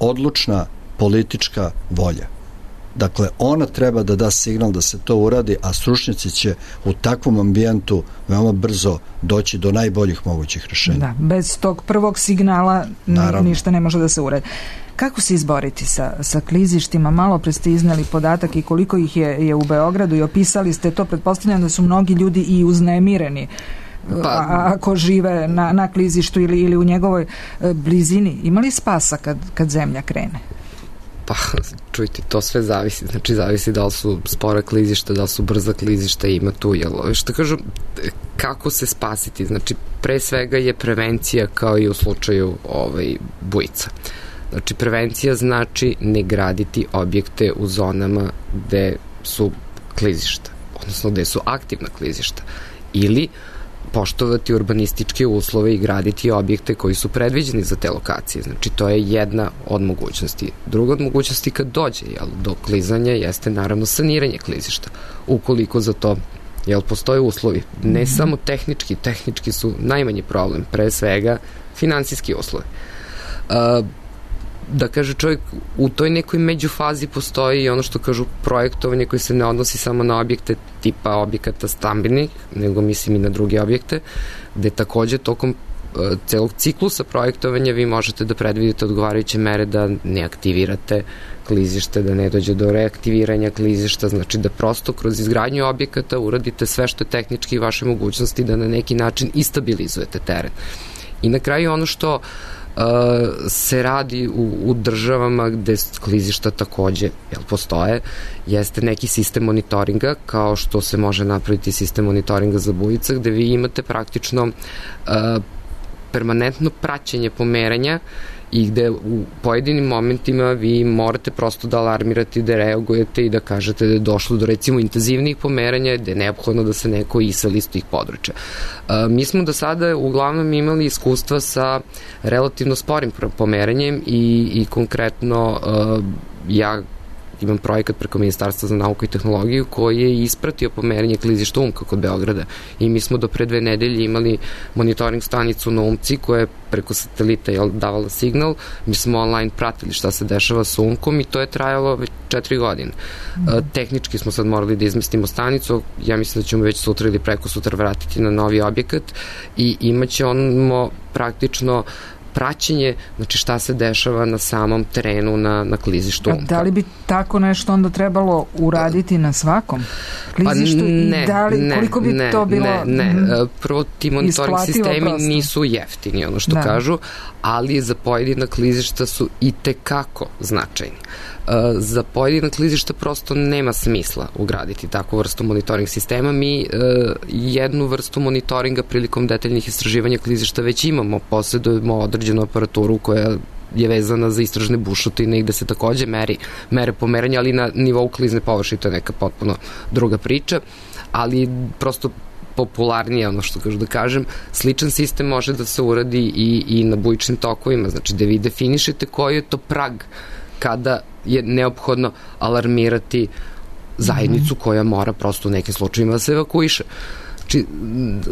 odlučna politička volja. Dakle, ona treba da da signal da se to uradi, a stručnjaci će u takvom ambijentu veoma brzo doći do najboljih mogućih rešenja. Da, bez tog prvog signala Naravno. ništa ne može da se uradi. Kako se izboriti sa, sa klizištima? Malo pre ste izneli podatak i koliko ih je, je u Beogradu i opisali ste to. Pretpostavljam da su mnogi ljudi i uznemireni pa, a, ako žive na, na klizištu ili, ili u njegovoj e, blizini. Ima li spasa kad, kad zemlja krene? Pa, čujte, to sve zavisi. Znači, zavisi da li su spora klizišta, da li su brza klizišta, ima tu, jel? Što kažu, kako se spasiti? Znači, pre svega je prevencija kao i u slučaju ovaj, bujica. Znači, prevencija znači ne graditi objekte u zonama gde su klizišta, odnosno gde su aktivna klizišta. Ili poštovati urbanističke uslove i graditi objekte koji su predviđeni za te lokacije. Znači, to je jedna od mogućnosti. Druga od mogućnosti kad dođe jel, do klizanja jeste naravno saniranje klizišta. Ukoliko za to jel, postoje uslovi. Ne mm-hmm. samo tehnički, tehnički su najmanji problem, pre svega finansijski uslovi. Uh, da kaže čovjek, u toj nekoj međufazi postoji ono što kažu projektovanje koje se ne odnosi samo na objekte tipa objekata stambenih, nego mislim i na druge objekte, gde takođe tokom uh, celog ciklusa projektovanja vi možete da predvidite odgovarajuće mere da ne aktivirate klizište, da ne dođe do reaktiviranja klizišta, znači da prosto kroz izgradnju objekata uradite sve što je tehnički vaše mogućnosti da na neki način istabilizujete teren. I na kraju ono što Uh, se radi u, u državama gde klizišta takođe jel, postoje, jeste neki sistem monitoringa, kao što se može napraviti sistem monitoringa za bujica, gde vi imate praktično uh, permanentno praćenje pomeranja i gde u pojedinim momentima vi morate prosto da alarmirate, da reagujete i da kažete da je došlo do recimo intenzivnijih pomeranja, da je neophodno da se neko iseli iz tih područja. E, mi smo do sada uglavnom imali iskustva sa relativno sporim pomeranjem i, i konkretno e, ja imam projekat preko Ministarstva za nauku i tehnologiju koji je ispratio pomeranje klizišta Umka kod Beograda i mi smo do pre dve nedelje imali monitoring stanicu na Umci koja je preko satelita je davala signal, mi smo online pratili šta se dešava sa Umkom i to je trajalo već četiri godine. Mm. E, tehnički smo sad morali da izmestimo stanicu, ja mislim da ćemo već sutra ili preko sutra vratiti na novi objekat i imaće ono praktično praćenje, znači šta se dešava na samom terenu na, na klizištu Umka. Da li bi tako nešto onda trebalo uraditi na svakom klizištu pa ne, i da li, ne, koliko bi ne, to bilo ne, ne. Mm, prvo ti monitoring sistemi prosto nisu jeftini, ono što da. kažu, ali za pojedina klizišta su i tekako značajni. Za pojedina klizišta prosto nema smisla ugraditi takvu vrstu monitoring sistema. Mi jednu vrstu monitoringa prilikom detaljnih istraživanja klizišta već imamo, posjedujemo određenu aparaturu koja je vezana za istražne bušotine i gde se takođe meri, mere pomeranja, ali na nivou klizne površine, to je neka potpuno druga priča, ali prosto popularnije, ono što kažu da kažem, sličan sistem može da se uradi i, i na bujičnim tokovima, znači da vi definišete koji je to prag kada je neophodno alarmirati zajednicu koja mora prosto u nekim slučajima da se evakuiše. Znači,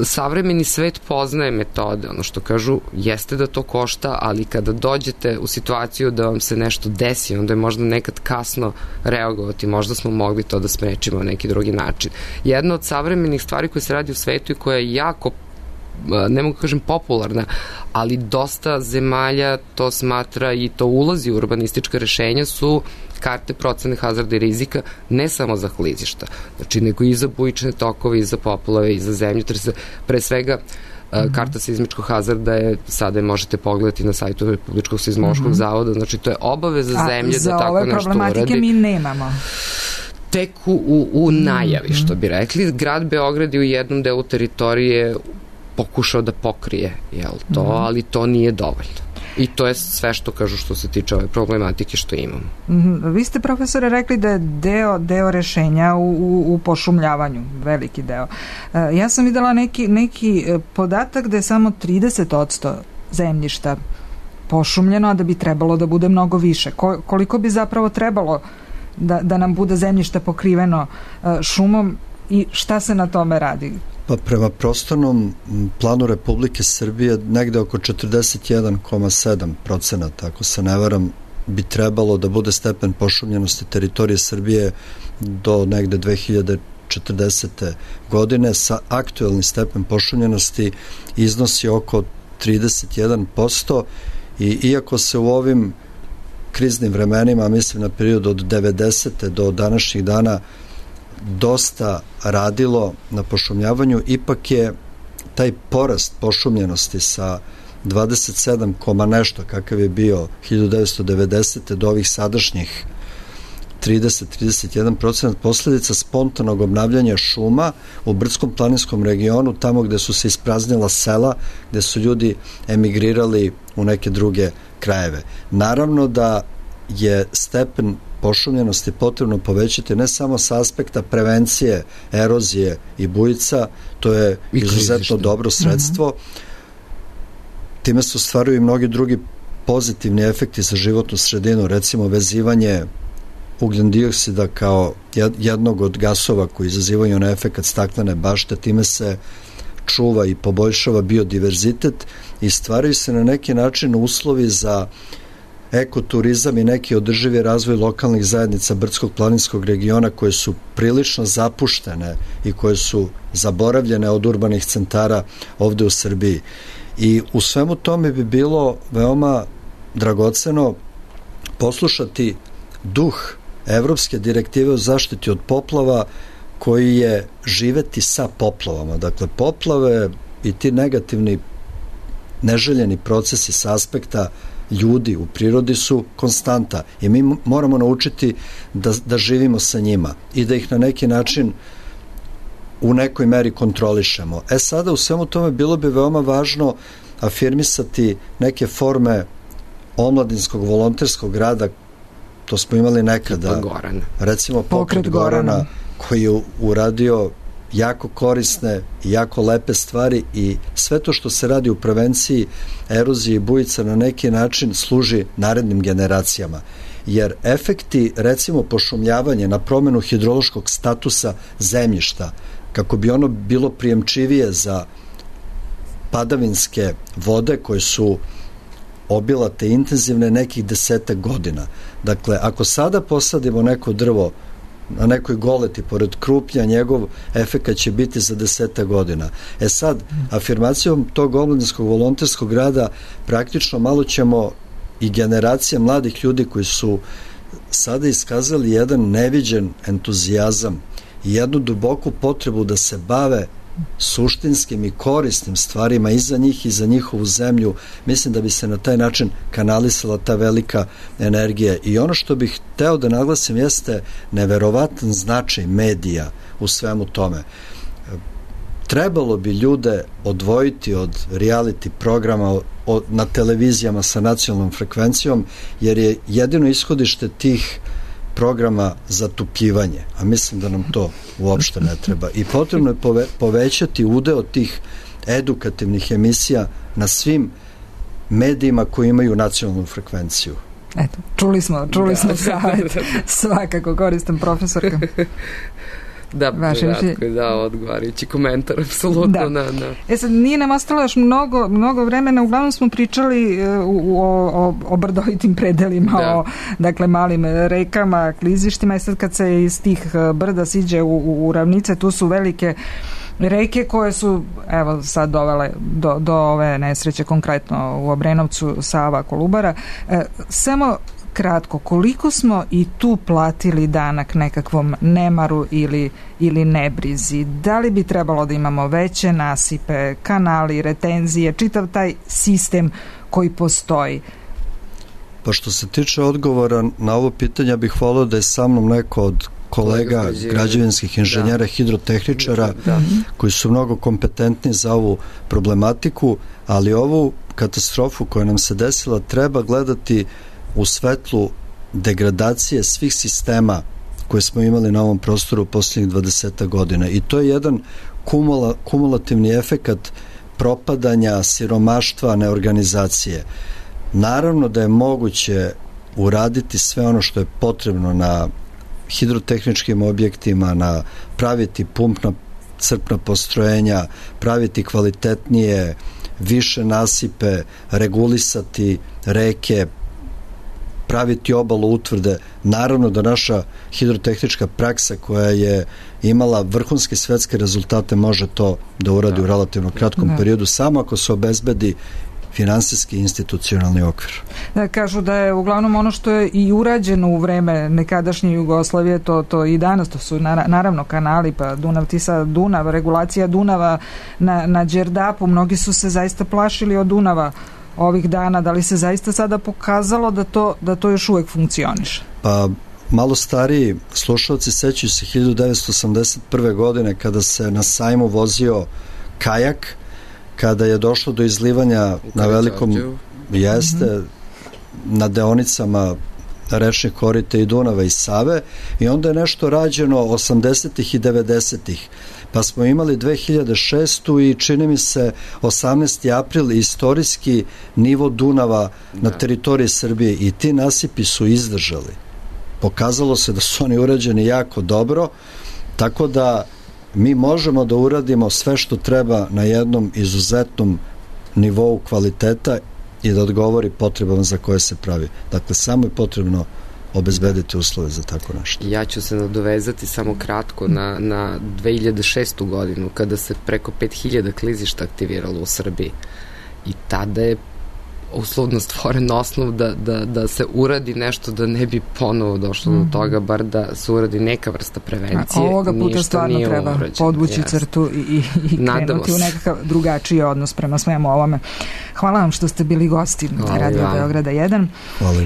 savremeni svet poznaje metode, ono što kažu jeste da to košta, ali kada dođete u situaciju da vam se nešto desi, onda je možda nekad kasno reagovati, možda smo mogli to da sprečimo na neki drugi način. Jedna od savremenih stvari koje se radi u svetu i koja je jako, ne mogu kažem popularna, ali dosta zemalja to smatra i to ulazi u urbanistička rešenja su karte procene hazarda i rizika, ne samo za klizišta, znači nego i za bujične tokove, i za poplave, i za zemljotrese. Pre svega, mm-hmm. karta seizmičkog hazarda je, sada je možete pogledati na sajtu Republičkog seizmološkog mm-hmm. zavoda, znači to je obaveza zemlje da tako nešto uradi. A za ove problematike mi nemamo. Tek u, u najavi, što bi rekli. Grad Beograd je u jednom delu teritorije pokušao da pokrije jel, to, mm-hmm. ali to nije dovoljno. I to je sve što kažu što se tiče ove problematike što imamo. Mm-hmm. Vi ste, profesore, rekli da je deo, deo rešenja u, u, u pošumljavanju, veliki deo. E, ja sam videla neki, neki podatak da je samo trideset posto zemljišta pošumljeno, a da bi trebalo da bude mnogo više. Ko, koliko bi zapravo trebalo da, da nam bude zemljište pokriveno e, šumom i šta se na tome radi? Pa prema prostornom planu Republike Srbije negde oko četrdeset jedan zarez sedam procenata, ako se ne varam, bi trebalo da bude stepen pošumljenosti teritorije Srbije do negde dve hiljade četrdesete godine. Sa aktuelni stepen pošumljenosti iznosi oko trideset jedan posto i iako se u ovim kriznim vremenima, mislim na period od devedesete do današnjih dana, dosta radilo na pošumljavanju, ipak je taj porast pošumljenosti sa dvadeset sedam, nešto kakav je bio hiljadu devetsto devedesete do ovih sadašnjih trideset do trideset jedan procenat posledica spontanog obnavljanja šuma u brdsko-planinskom regionu, tamo gde su se ispraznila sela, gde su ljudi emigrirali u neke druge krajeve. Naravno da je stepen pošumljenosti potrebno povećati ne samo sa aspekta prevencije erozije i bujica, to je izuzetno dobro sredstvo. Mm-hmm. Time se ostvaruju i mnogi drugi pozitivni efekti za životnu sredinu, recimo vezivanje ugljen dioksida kao jednog od gasova koji izazivaju na efekat staklene bašte, time se čuva i poboljšava biodiverzitet i stvaraju se na neki način uslovi za ekoturizam i neki održivi razvoj lokalnih zajednica brdskog planinskog regiona koje su prilično zapuštene i koje su zaboravljene od urbanih centara ovde u Srbiji. I u svemu tome bi bilo veoma dragoceno poslušati duh Evropske direktive o zaštiti od poplava koji je živeti sa poplavama. Dakle, poplave i ti negativni neželjeni procesi sa aspekta ljudi u prirodi su konstanta i mi moramo naučiti da, da živimo sa njima i da ih na neki način u nekoj meri kontrolišemo. E sada u svemu tome bilo bi veoma važno afirmisati neke forme omladinskog volonterskog rada, to smo imali nekada, recimo Pokret Gorana, koji je uradio jako korisne i jako lepe stvari i sve to što se radi u prevenciji erozije i bujica na neki način služi narednim generacijama. Jer efekti, recimo pošumljavanje na promenu hidrološkog statusa zemljišta, kako bi ono bilo prijemčivije za padavinske vode koje su obilate intenzivne nekih desetak godina. Dakle, ako sada posadimo neko drvo na nekoj goleti pored Krupnja, njegov efekat će biti za desetak godina. E sad, afirmacijom tog omladinskog volonterskog rada praktično malo ćemo i generacija mladih ljudi koji su sada iskazali jedan neviđen entuzijazam i jednu duboku potrebu da se bave suštinskim i korisnim stvarima i za njih i za njihovu zemlju, mislim da bi se na taj način kanalisala ta velika energija. I ono što bih hteo da naglasim jeste neverovatan značaj medija u svemu tome. Trebalo bi ljude odvojiti od reality programa od, na televizijama sa nacionalnom frekvencijom, jer je jedino ishodište tih programa zatupljivanje, a mislim da nam to uopšte ne treba. I potrebno je pove, povećati udeo tih edukativnih emisija na svim medijima koji imaju nacionalnu frekvenciju. Eto, čuli smo, čuli da. smo savjet, svakako koristan profesorka. Da, Ratko je dao odgovarajući komentar, apsolutno. Da. Na, na. E sad, nije nam ostalo još mnogo, mnogo vremena, uglavnom smo pričali u, o, o, o brdovitim predelima, da. o dakle, malim rekama, klizištima, i sad kad se iz tih brda siđe u, u, u ravnice, tu su velike reke koje su, evo, sad dovele do, do ove nesreće, konkretno u Obrenovcu, Sava, Kolubara. E, samo kratko, koliko smo i tu platili danak nekakvom nemaru ili, ili nebrizi? Da li bi trebalo da imamo veće nasipe, kanali, retenzije, čitav taj sistem koji postoji? Pa što se tiče odgovora na ovo pitanje, bih volio da je sa mnom neko od kolega građevinskih inženjera, da. hidrotehničara, da. koji su mnogo kompetentni za ovu problematiku, ali ovu katastrofu koja nam se desila treba gledati u svetlu degradacije svih sistema koje smo imali na ovom prostoru u posljednjih dvadeset godina. I to je jedan kumula, kumulativni efekat propadanja, siromaštva, neorganizacije. Naravno da je moguće uraditi sve ono što je potrebno na hidrotehničkim objektima, na praviti pumpna crpna postrojenja, praviti kvalitetnije, više nasipe, regulisati reke, praviti obalu utvrde. Naravno da naša hidrotehnička praksa koja je imala vrhunske svetske rezultate može to da uradi da. u relativno kratkom da. periodu, samo ako se obezbedi finansijski institucionalni okvir. Da, kažu da je uglavnom ono što je i urađeno u vreme nekadašnje Jugoslavije, to, to i danas, to su naravno kanali, pa Dunav, Tisa, Dunav, regulacija Dunava na, na Đerdapu, mnogi su se zaista plašili od Dunava ovih dana. Da li se zaista sada pokazalo da to, da to još uvek funkcioniše? Pa malo stariji slušalci sećaju se hiljadu devetsto osamdeset prve godine kada se na sajmu vozio kajak, kada je došlo do izlivanja na velikom jeste mm-hmm. na deonicama rečnih korita i Dunava i Save, i onda je nešto rađeno osamdesetih i devedesetih, pa smo imali dve hiljade šestu i čini mi se osamnaesti april istorijski nivo Dunava da. na teritoriji Srbije, i ti nasipi su izdržali. Pokazalo se da su oni urađeni jako dobro, tako da mi možemo da uradimo sve što treba na jednom izuzetnom nivou kvaliteta i da odgovori potrebama za koje se pravi. Dakle, samo je potrebno obezbediti uslove za tako nešto. Ja ću se nadovezati samo kratko na, na dve hiljade šestu godinu, kada se preko pet hiljada klizišta aktiviralo u Srbiji. I tada je uslovno stvoren osnov da, da, da se uradi nešto, da ne bi ponovo došlo mm-hmm. do toga, bar da se uradi neka vrsta prevencije. A ovoga puta stvarno treba urađen. podvući yes. crtu i, i, i krenuti u nekakav drugačiji odnos prema svemu ovome. Hvala vam što ste bili gosti na Radio vam. Beograda jedan.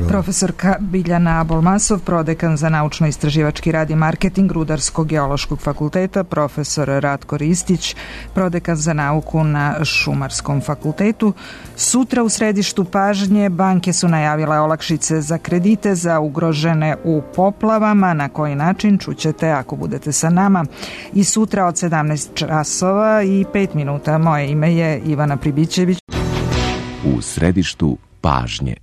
Profesorka Biljana Abolmasov, prodekan za naučno-istraživački rad i marketing Rudarsko-geološkog fakulteta, profesor Ratko Ristić, prodekan za nauku na Šumarskom fakultetu. Sutra u središtu pažnje banke su najavile olakšice za kredite za ugrožene u poplavama. Na koji način čućete ako budete sa nama. I sutra od sedamnaest časova i pet minuta. Moje ime je Ivana Pribićević. U središtu pažnje.